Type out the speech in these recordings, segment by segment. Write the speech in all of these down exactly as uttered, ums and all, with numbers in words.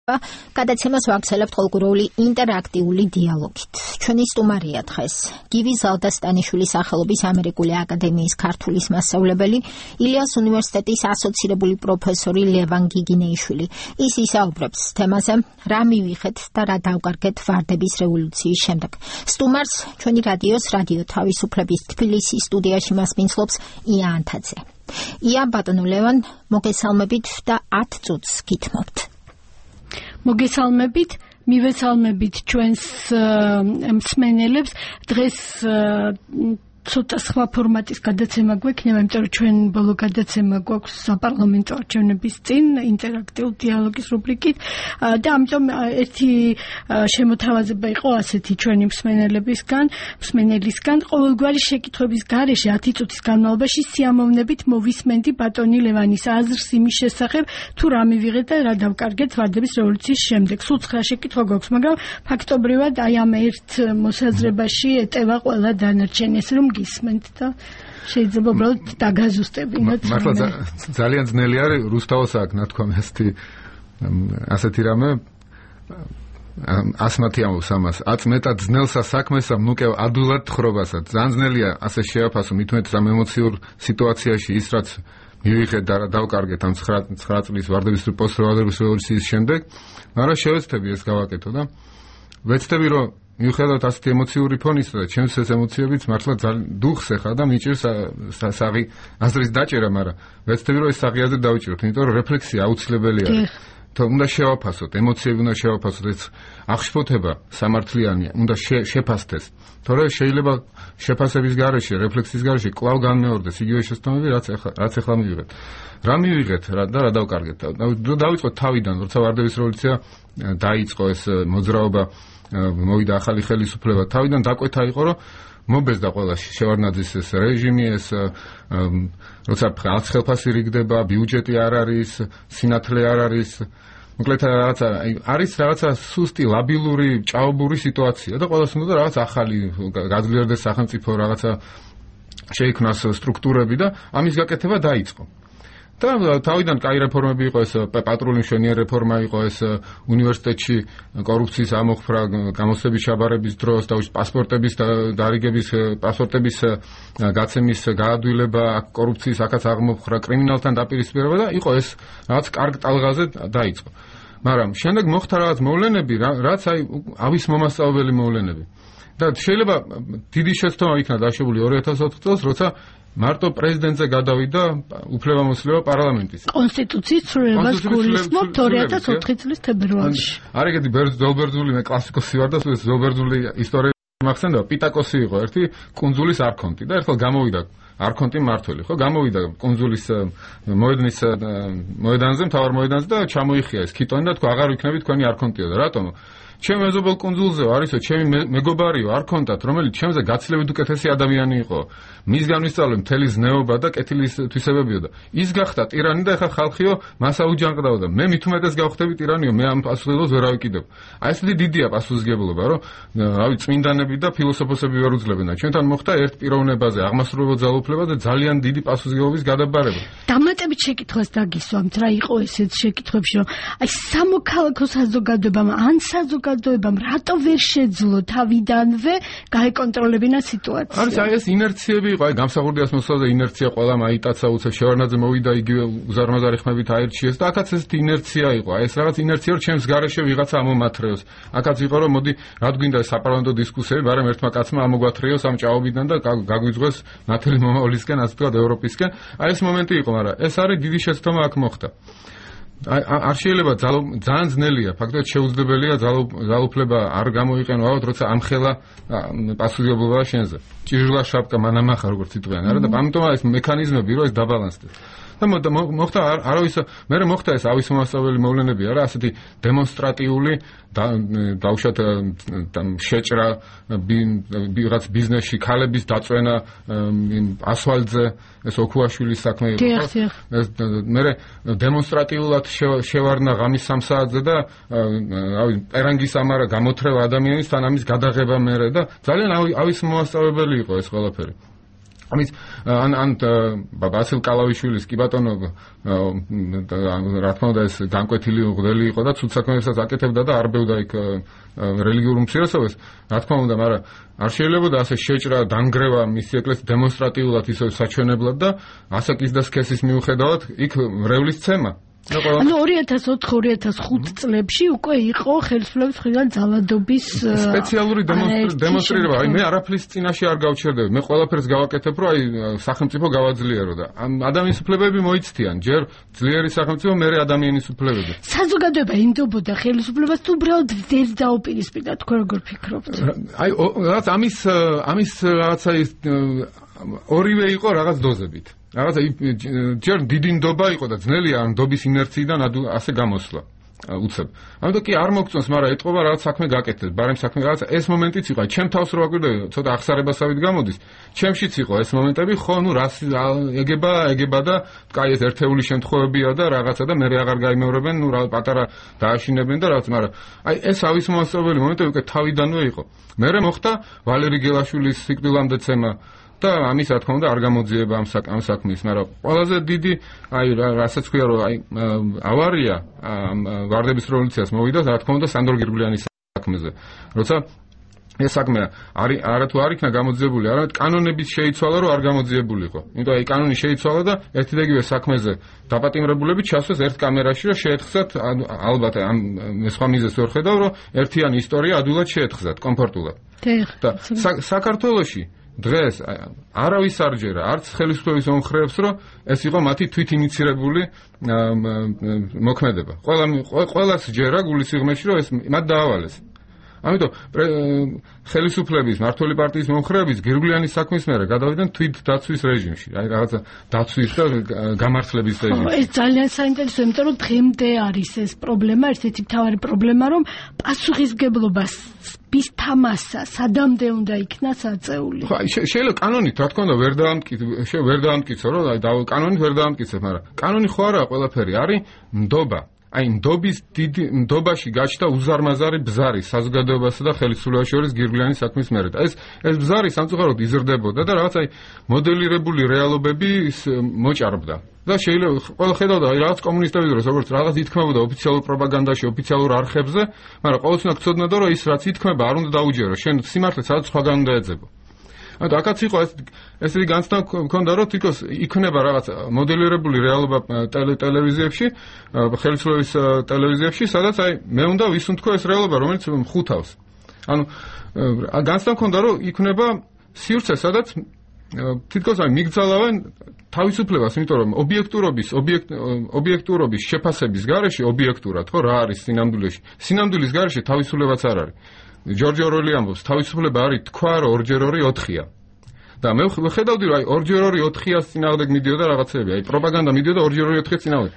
გადაცემას ვაგრძელებთ ყოველგვარული ინტერაქტიული დიალოგით. ჩვენი სტუმარია დღეს გივი ზალდასტანიშვილის სახელობის ამერიკული აკადემიის ქართულის მასწავლებელი, ილიას უნივერსიტეტის ასოცირებული პროფესორი ლევან გიგინეიშვილი. ის ისაუბრებს თემაზე, რა მივიღეთ და რა დავკარგეთ ვარდების რევოლუციის შემდეგ. სტუმარს ჩვენი რადიოს რადიო თავისუფლების თბილისის სტუდიაში მასპინძლობს ია ანთაძე. ია, ბატონო ლევან, მოგესალმებით და ათ წუთს გითმობთ. მოგესალმებით, მივესალმებით ჩვენს მსმენელებს. დღეს ცოტა სხვა ფორმატის გადაცემა გვექნება, იმიტომ რომ ჩვენ ბოლო გადაცემა გვაქვს საპარლამენტო არჩევნების წინ ინტერაქტიულ დიალოგის რუბრიკით და ამიტომ ერთი შემოთავაზება იყო ასეთი ჩვენი მსმენელებისგან, მსმენელისგან, ყოველგვარი შეკითხვების გარეშე ათი წუთის განმავლობაში სიამოვნებით მოვისმენდი ბატონი ლევანის აზრს იმის შესახებ, თუ რა მივიღეთ და რა დავკარგეთ ვარდების რევოლუციის შემდეგ. სულ ცხრა შეკითხვა გვაქვს, მაგრამ ფაქტობრივად აი ამ ერთ მოსაზრებაში ეტევა ყველა დანარჩენი, ესე რომ გისმენთ და შეიძლება უბრალოდ დაგაზუსტებინოთ. მართლა ძალიან ძნელი არის რუსთავოს აქ ნათქვამი ასეთი ასეთი რამე ასმათი ამბობს ამას. აც მეტად ძნელსა საქმესა მნუკევ ადვილად თხრობასა. ძალიან ძნელია ასე შეაფასო მით უმეტეს ამ ემოციურ სიტუაციაში ის რაც მივიღეთ და დავკარგეთ ამ ცხრა წლის ვარდების პოსტვარდების რევოლუციის შემდეგ, მაგრამ შევეცდები ეს გავაკეთო და ვეცდები რომ მიუხედავად ასეთი ემოციური ფონისა და ჩემს ეს ემოციებიც მართლა ძალიან დუხს ეხა და მიჭირს საღი აზრის დაჭერა, მაგრამ ვეცდები რომ ეს საღი აზრი დავიჭიროთ, იმიტომ რომ რეფლექსია აუცილებელი არის. უნდა შევაფასოთ, ემოციები უნდა შევაფასოთ, ეს აღშფოთება სამართლიანია, უნდა შეფასდეს. თორე შეიძლება შეფასების გარეშე, რეფლექსიის გარეშე კვლავ განმეორდეს იგივე შეცდომები, რაც ახლა რაც ახლა მივიღეთ. რა მივიღეთ და რა დავკარგეთ? დავიწყოთ თავიდან, როცა ვარდების რევოლუცია დაიწყო, ეს მოძრაობა მოვიდა ახალი ხელისუფლება. თავიდან დაკვეთა იყო, რომ მობეზდა ყველა შევარდნაძის ეს რეჟიმი, ეს როცა არც ხელფასი რიგდება, ბიუჯეტი არ არის, სინათლე არ არის. მოკლედ რაღაცა არის რაღაცა სუსტი, ლაბილური, ჭაობური სიტუაცია და ყველას უნდა რაღაც ახალი გაძლიერდეს სახელმწიფო, რაღაცა შეიქმნას სტრუქტურები და ამის გაკეთება დაიწყო. და თავიდან კაი რეფორმები იყო, ეს პატრული მშვენიერი რეფორმა იყო, ეს უნივერსიტეტში კორუფციის ამოხრა, გამოცდების ჩაბარების დროს და პასპორტების დარიგების, პასპორტების გაცემის გაადვილება, კორუფციის აქაც აღმოფხრა, კრიმინალთან დაპირისპირება და იყო ეს რაღაც კარგ ტალღაზე დაიწყო. მაგრამ შემდეგ მოხდა რაღაც მოვლენები, რაც აი ავის მომასწავლებელი მოვლენები. და შეიძლება დიდი შეცდომა იქნა დაშვებული ორი ათას ოთხ წელს, როცა მარტო პრეზიდენტზე გადავიდა უფლებამოსილება პარლამენტის. კონსტიტუციის ცვლილებას გულისხმობთ ორი ათას ოთხი წლის თებერვალში. არ ეგეთი ზოლბერძული, მე კლასიკოსი ვარ და ზოლბერძული ისტორია მახსენდება, პიტაკოსი იყო ერთი კუნძულის არქონტი და ერთხელ გამოვიდა არქონტი მართველი, ხო, გამოვიდა კუნძულის მოედნის მოედანზე, მთავარ მოედანზე და ჩამოიხია ეს ქიტონი და თქვა აღარ ვიქნები თქვენი არქონტიო და რატომ? ჩემ მეზობელ კუნძულზე არისო, ჩემი მეგობარიო არქონტად, რომელიც ჩემზე გაცილებით უკეთესი ადამიანი იყო. მისგან ვისწავლე მთელი ზნეობა და კეთილის თვისებებიო და ის გახდა ტირანი და ეხა ხალხიო მას აუჯანყდაო და მე მით უმეტეს გავხდები ტირანიო, მე ამ პასუხისმგებლობას ვერ ავიკიდებ. აი ესეთი დიდია პასუხისმგებლობა, რომ რავი წმინდანები და ფილოსოფოსები ვერ უძლებენ. ჩვენთან მოხდა ერთ პიროვნებაზე აღმასრულებელ ძალაუფლებაზე ძალიან დიდი პასუხისმგებლობის გადაბარება. დამატებით შეკითხვას დაგისვამთ, რა იყო ესეთ შეკითხვებში, რომ აი სამოქალაქო საზოგადოებამ ან საზოგადოებამ რატო ვერ შეძლო თავიდანვე გაეკონტროლებინა სიტუაცია? არის აი ეს ინერციები იყო, აი გამსახურდიას მოსვლაზე ინერცია ყველა მაიტაცა უცებ შევარდნაძე მოვიდა იგივე უზარმაზარი ხმებით აერჩიეს და აქაც ესეთი ინერცია იყო. აი ეს რაღაც ინერცია, რომ ჩემს გარეშე ვიღაცა ამომათრეოს. აქაც იყო, რომ მოდი რა გვინდა საპარლამენტო დისკუსიები, მაგრამ ერთმა კაცმა ამოგვათრეოს ამ ჭაობიდან და გაგვიძღვეს ნათელი მომავლისკენ, ასე ვთქვათ, ევროპისკენ. აი ეს მომენტი იყო, მაგრამ ეს არის დიდი შეცდომა აქ მოხდა. არ შეიძლება ძალიან ძნელია, ფაქტობრივად შეუძლებელია ძალაუფლება არ გამოიყენო, ალბათ როცა ამხელა პასუხისმგებლობა შენზე. ჭიჟლა შაპკა მანამახა როგორც იტყვიან, არა და ამიტომ ეს მექანიზმები რომ ეს დაბალანსდეს. და მოხდა არავის მე მოხდა ეს ავის მომასწავლებელი მოვლენები არა, ასეთი დემონსტრატიული დავუშვათ შეჭრა ვიღაც ბიზნესში ქალების დაწვენა ასვალზე, ეს ოქუაშვილის საქმე იყო. ეს მე დემონსტრატიულად შევარდნა ღამის სამ საათზე და რავი პერანგის ამარა გამოთრევა ადამიანის თან ამის გადაღება მერე და ძალიან ავის მომასწავლებელი იყო ეს ყველაფერი. ამის ან ან ბასილ კალავიშვილის კი ბატონო რა თქმა უნდა ეს განკვეთილი უღდელი იყო და ცუდ საქმეებსაც აკეთებდა და არბევდა იქ რელიგიურ უმცირესობას რა თქმა უნდა მაგრამ არ შეიძლებოდა ასე შეჭრა დანგრევა მისი ეკლესიის დემონსტრატიულად ისე საჩვენებლად და ასაკის და სქესის მიუხედავად იქ მრევლის ცემა ანუ ორი ათას ოთხ ორი ათას ხუთ წლებში უკვე იყო ხელისუფლების მხრიდან ძალადობის სპეციალური დემონსტრირება. აი მე არაფრის წინაშე არ გავჩერდები. მე ყველაფერს გავაკეთებ, რომ აი სახელმწიფო გავაძლიერო და ადამიანის უფლებები მოიცდიან. ჯერ ძლიერი სახელმწიფო, მერე ადამიანის უფლებები. საზოგადოება იმდობოდა ხელისუფლებას თუ უბრალოდ ვერ დაუპირისპირდა, თქვენ როგორ ფიქრობთ? აი რაღაც ამის ამის რაღაცა ორივე იყო რაღაც დოზებით. რაღაცა ჯერ დიდი ნდობა იყო და ძნელია ამ ნდობის ინერციიდან ასე გამოსვლა უცებ. ამიტომ კი არ მოგწონს, მაგრამ ეტყობა რაღაც საქმე გაკეთეთ, ბარემ საქმე რაღაცა ეს მომენტიც იყო. ჩემ თავს რო აკვირდები, ცოტა ახსარებასავით გამოდის. ჩემშიც იყო ეს მომენტები, ხო, ნუ რას ეგება, ეგება და კაი ეს ერთეული შემთხვევებია და რაღაცა და მე აღარ გაიმეორებენ, ნუ რა პატარა დააშინებენ და რაღაც, მაგრამ აი ეს ავის მომასწავლებელი მომენტები უკვე თავიდანვე იყო. მერე მოხდა ვალერი გელაშვილის სიკვდილამდე ცემა და ამის რა თქმა უნდა არ გამოძიება ამ ამ საქმის, მაგრამ ყველაზე დიდი აი რასაც ქვია რომ აი ავარია ვარდების რევოლუციას მოვიდა რა თქმა უნდა სანდრო გირგვლიანის საქმეზე. როცა ეს საქმე არის არა თუ არ იქნა გამოძიებული, არამედ კანონების შეიცვალა რომ არ გამოძიებულიყო. იმიტომ აი კანონი შეიცვალა და ერთი და იგივე საქმეზე დაპატიმრებულები ჩასვეს ერთ კამერაში რომ შეეთხზათ ალბათ ამ სხვა მიზეზს ვერ ხედავ რომ ერთიანი ისტორია ადვილად შეეთხზათ კომფორტულად. და საქართველოში დღეს არავის არ ჯერა არც ხელისუფლების მომხრეებს რომ ეს იყო მათი თვით ინიცირებული მოქმედება. ყველა ყველას ჯერა გულისიღმეში რომ ეს მათ დაავალეს. ამიტომ ხელისუფლების მმართველი პარტიის მომხრეების გირგვლიანის საქმის მერე გადავიდნენ თვით დაცვის რეჟიმში. აი რაღაცა დაცვის და გამართლების რეჟიმში. ეს ძალიან საინტერესოა, იმიტომ რომ დღემდე არის ეს პრობლემა, ერთ-ერთი მთავარი პრობლემა, რომ პასუხისმგებლობას bis თამასა სადამდე უნდა იქნას აწეული. ხო, შეიძლება კანონით, რა თქმა უნდა, ვერ დაამტკიცო, ვერ დაამტკიცო, რომ აი კანონით ვერ დაამტკიცებ, მაგრამ კანონი ხო არაა ყველაფერი, არის ნდობა. აი ნდობის დიდი ნდობაში გაჩნდა უზარმაზარი ბზარი საზოგადოებასა და ხელისუფლებას შორის გირგვლიანის საქმის მერე. და ეს ეს ბზარი სამწუხაროდ იზრდებოდა და რაღაც აი მოდელირებული რეალობები მოჭარბდა. და შეიძლება ყველა ხედავდა აი რაღაც კომუნისტების დროს როგორც რაღაც ითქმებოდა ოფიციალურ პროპაგანდაში, ოფიციალურ არხებზე, მაგრამ ყოველთვის უნდა გწოდნოდო რომ ის რაც ითქმება არ უნდა დაუჯერო. შენ სიმართლე სადაც სხვაგან უნდა ეძებო. ანუ აქაც იყო ეს ესეთი განცდა მქონდა რომ თითქოს იქნება რაღაც მოდელირებული რეალობა ტელევიზიებში, ხელისუფლების ტელევიზიებში, სადაც აი მე უნდა ვისუნთქო ეს რეალობა, რომელიც მხუთავს. ანუ განცდა მქონდა რომ იქნება სივრცე, სადაც თითქოს აი მიგძალავენ თავისუფლებას, იმიტომ რომ ობიექტურობის ობიექტურობის შეფასების გარეშე ობიექტურად ხო რა არის სინამდვილეში. სინამდვილის გარეშე თავისუფლებაც არ არის. ჯორჯ ორველი ამბობს, თავისუფლება არის თქვა, რომ ორჯერ ორი ოთხია. და მე ხედავდი, რომ აი ორჯერ ორი ოთხიას წინააღმდეგ მიდიოდა რაღაცები, აი პროპაგანდა მიდიოდა ორჯერ ორი ოთხიას წინააღმდეგ.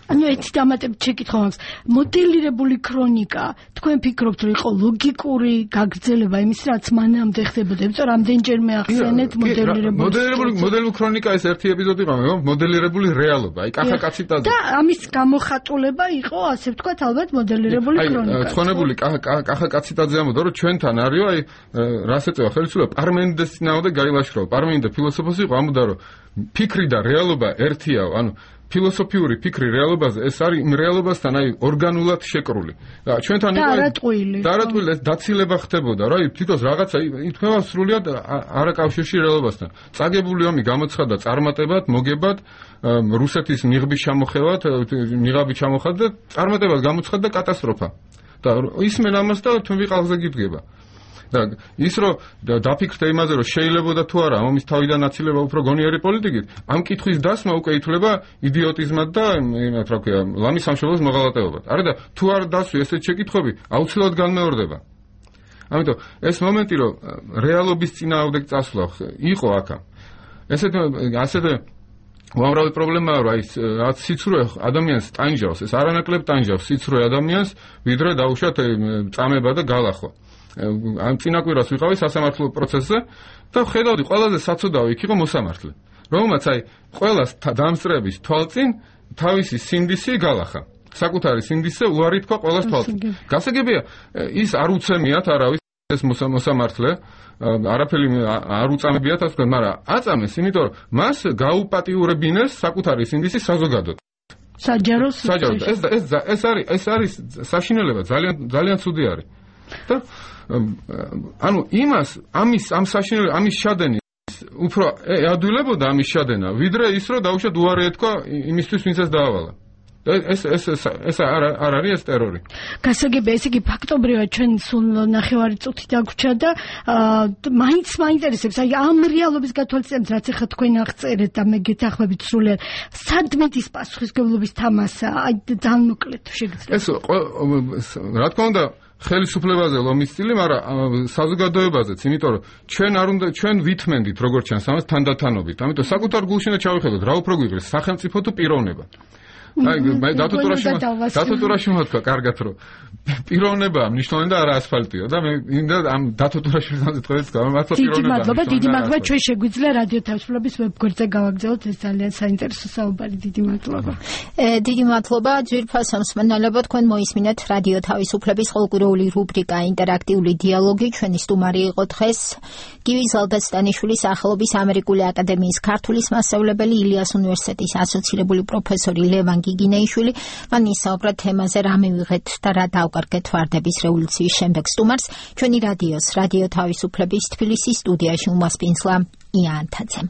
ანუ ერთი დამატებით შეკითხვა მაქვს, მოდელირებული ქრონიკა, თქვენ ფიქრობთ, რომ იყო ლოგიკური გაგრძელება იმის, რაც მანამდე ხდებოდა, იმიტომ რომ რამდენჯერმე ახსენეთ მოდელირებული მოდელირებული მოდელირებული ქრონიკა ეს ერთი ეპიზოდი იყო, მე მოდელირებული რეალობა, აი კახა კაციტაძე. და ამის გამოხატულება იყო, ასე ვთქვათ, ალბათ მოდელირებული ქრონიკა. აი ცხონებული კახა კაციტაძე ამბობდა, რომ ჩვენთან არისო, აი რას ეწევა ხელისუფლება, პარმენიდეს წინააღმდეგ გაილაშქრა. პარმენიდე ფილოსოფოსი იყო, ამბობდა, რომ ფიქრი და რეალობა ერთია, ანუ ფილოსოფიური ფიქრი რეალობაზე ეს არის იმ რეალობასთან აი ორგანულად შეკრული. და ჩვენთან იყო დარატყვილი. დარატყვილი ეს დაცილება ხდებოდა, რა თვითონ რაღაცა ითქვა სრულიად არაკავშირში რეალობასთან. წაგებული ომი გამოცხადდა წარმატებად, მოგებად, რუსეთის ნიღბის ჩამოხევად, ნიღაბი ჩამოხდა და წარმატებად გამოცხადდა კატასტროფა. და ისმენ ამას და თვი ყალხზე გიდგება. და ის რომ დაფიქრდე იმაზე რომ შეიძლებოდა თუ არა ამის თავიდან აცილება უფრო გონიერი პოლიტიკით, ამ კითხვის დასმა უკვე ითვლება იდიოტიზმად და იმათ რა ქვია, ლამის სამშობლოს მოღალატეობად. არა და თუ არ დასვი ესეთ შეკითხვები, აუცილებლად განმეორდება. ამიტომ ეს მომენტი რომ რეალობის წინააღმდეგ წასვლა იყო აქა. ესეთ ასეთ უამრავი პრობლემაა რომ აი რაც სიცრუე ადამიანს ტანჯავს, ეს არანაკლებ ტანჯავს სიცრუე ადამიანს, ვიდრე დაუშვათ წამება და გალახო. ამ წინაკვირას ვიყავი სასამართლო პროცესზე და ხედავდი ყველაზე საცოდავი იქ იყო მოსამართლე, რომელმაც აი ყველას დამსწრების თვალწინ თავისი სინდისი გალახა. საკუთარი სინდისზე უარი თქვა ყველას თვალწინ. გასაგებია ის არ უცემიათ არავის ეს მოსამართლე არაფერი არ უწამებიათ ასე ვთქვათ, მაგრამ აწამეს, იმიტომ რომ მას გაუპატიურებინეს საკუთარი სინდისი საზოგადოდ. საჯარო საჯარო ეს ეს ეს არის ეს არის საშინელება ძალიან ძალიან ცუდი არის. და ანუ იმას ამის ამ საშინელ ამის შადენი უფრო ადვილებოდა ამის შადენა, ვიდრე ის რომ დაუშვათ უარი ეთქვა იმისთვის, ვინც ეს დაავალა. ეს ეს ეს არ არ არის ეს ტერორი. გასაგებია, ესე იგი ფაქტობრივად ჩვენ სულ ნახევარი წუთი დაგვრჩა და მაინც მაინტერესებს, აი ამ რეალობის გათვალისწინებით, რაც ახლა თქვენ აღწერეთ და მე გეთანხმებით სრულიად, სად მედის პასუხისმგებლობის თამასა, აი ძალიან მოკლედ შეგიძლიათ. ეს რა თქმა უნდა ხელისუფლებაზე ლომის სტილი, მაგრამ საზოგადოებაზეც, იმიტომ რომ ჩვენ არ უნდა ჩვენ ვითმენდით როგორც ჩანს ამას თანდათანობით. ამიტომ საკუთარ გულში უნდა ჩავიხედოთ, რა უფრო გვიღრეს, სახელმწიფო თუ პიროვნება. აი, მე დათოთურაში დათოთურაში მოთქვა კარგად რომ პიროვნებაა მნიშვნელოვანი და არა ასფალტია და მე მინდა ამ დათოთურაში ვიზამთხოვეთ გამართლა პიროვნება. დიდი მადლობა, დიდი მადლობა, ჩვენ შეგვიძლია რადიო თავისუფლების ვებგვერდზე გავაგზავნოთ ეს ძალიან საინტერესო საუბარი. დიდი მადლობა. დიდი მადლობა, ძვირფასო მსმენელებო, თქვენ მოისმინეთ რადიო თავისუფლების ყოველკვირეული რუბრიკა ინტერაქტიული დიალოგი. ჩვენი სტუმარი იყო დღეს გივი ზალდასტანიშვილის სახელობის ამერიკული აკადემიის ქართულის მასწავლებელი, ილიას უნივერსიტეტის ასოცირებული პროფესორი ლევან გიგინეიშვილი. მან ისაუბრა თემაზე, რა მივიღეთ და რა დავკარგეთ ვარდების რევოლუციის შემდეგ. სტუმარს ჩვენი რადიოს რადიო თავისუფლების თბილისის სტუდიაში უმასპინძლა ია ანთაძემ.